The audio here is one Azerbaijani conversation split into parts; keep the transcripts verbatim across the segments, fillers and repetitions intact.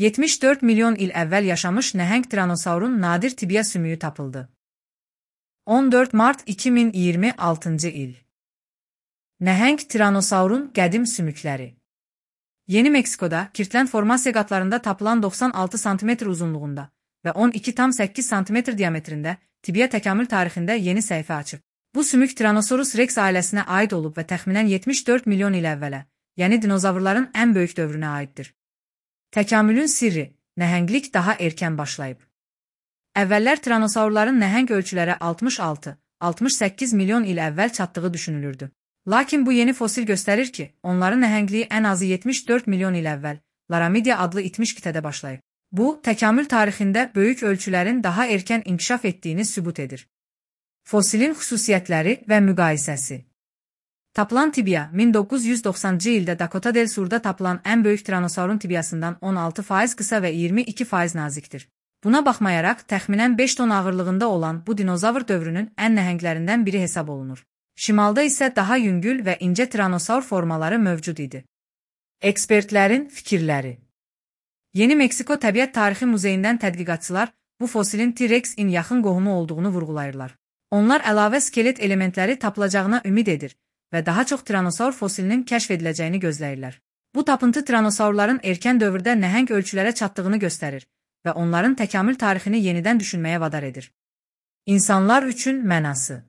yetmiş dörd milyon il əvvəl yaşamış nəhəng tiranosaurun nadir tibia sümüyü tapıldı. on dörd mart iki min iyirmi altıncı il. Nəhəng tiranosaurun qədim sümükləri. Yeni Meksikoda, Kirtland formasiya qatlarında tapılan doxsan altı santimetr uzunluğunda və on iki tam səkkiz santimetr diametrində tibia təkamül tarixində yeni səhifə açıb. Bu sümük Tyrannosaurus rex ailəsinə aid olub və təxminən yetmiş dörd milyon il əvvələ, yəni dinozavrların ən böyük dövrünə aiddir. Təkamülün sirri, nəhənglik daha erkən başlayıb. Əvvəllər tiranosaurların nəhəng ölçülərə altmış altı altmış səkkiz milyon il əvvəl çatdığı düşünülürdü. Lakin bu yeni fosil göstərir ki, onların nəhəngliyi ən azı yetmiş dörd milyon il əvvəl Laramidia adlı itmiş qitədə başlayıb. Bu, təkamül tarixində böyük ölçülərin daha erkən inkişaf etdiyini sübut edir. Fosilin xüsusiyyətləri və müqayisəsi. Tapılan tibia, min doqquz yüz doxsanıncı ildə Dakota del Sur'da tapılan ən böyük tiranosaurun tibiasından on altı faiz qısa və iyirmi iki faiz nazikdir. Buna baxmayaraq, təxminən beş ton ağırlığında olan bu dinozavr dövrünün ən nəhənglərindən biri hesab olunur. Şimalda isə daha yüngül və incə tiranosaur formaları mövcud idi. Ekspertlərin fikirləri. Yeni Meksiko Təbiət Tarixi Muzeyindən tədqiqatçılar bu fosilin T-Rex-in yaxın qohumu olduğunu vurğulayırlar. Onlar əlavə skelet elementləri tapılacağına ümid edir və daha çox tiranosaur fosilinin kəşf ediləcəyini gözləyirlər. Bu tapıntı tiranosaurların erkən dövrdə nəhəng ölçülərə çatdığını göstərir və onların təkamül tarixini yenidən düşünməyə vadar edir. İnsanlar üçün mənası.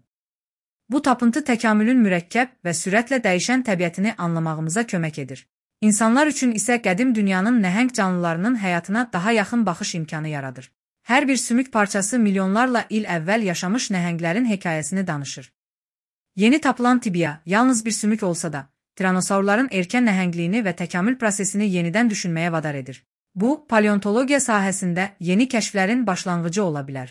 Bu tapıntı təkamülün mürəkkəb və sürətlə dəyişən təbiətini anlamağımıza kömək edir. İnsanlar üçün isə qədim dünyanın nəhəng canlılarının həyatına daha yaxın baxış imkanı yaradır. Hər bir sümük parçası milyonlarla il əvvəl yaşamış nəhənglərin hekayəsini danışır. Yeni tapılan tibia, yalnız bir sümük olsa da, tiranosaurların erkən nəhəngliyini və təkamül prosesini yenidən düşünməyə vadar edir. Bu, paleontologiya sahəsində yeni kəşflərin başlanğıcı ola bilər.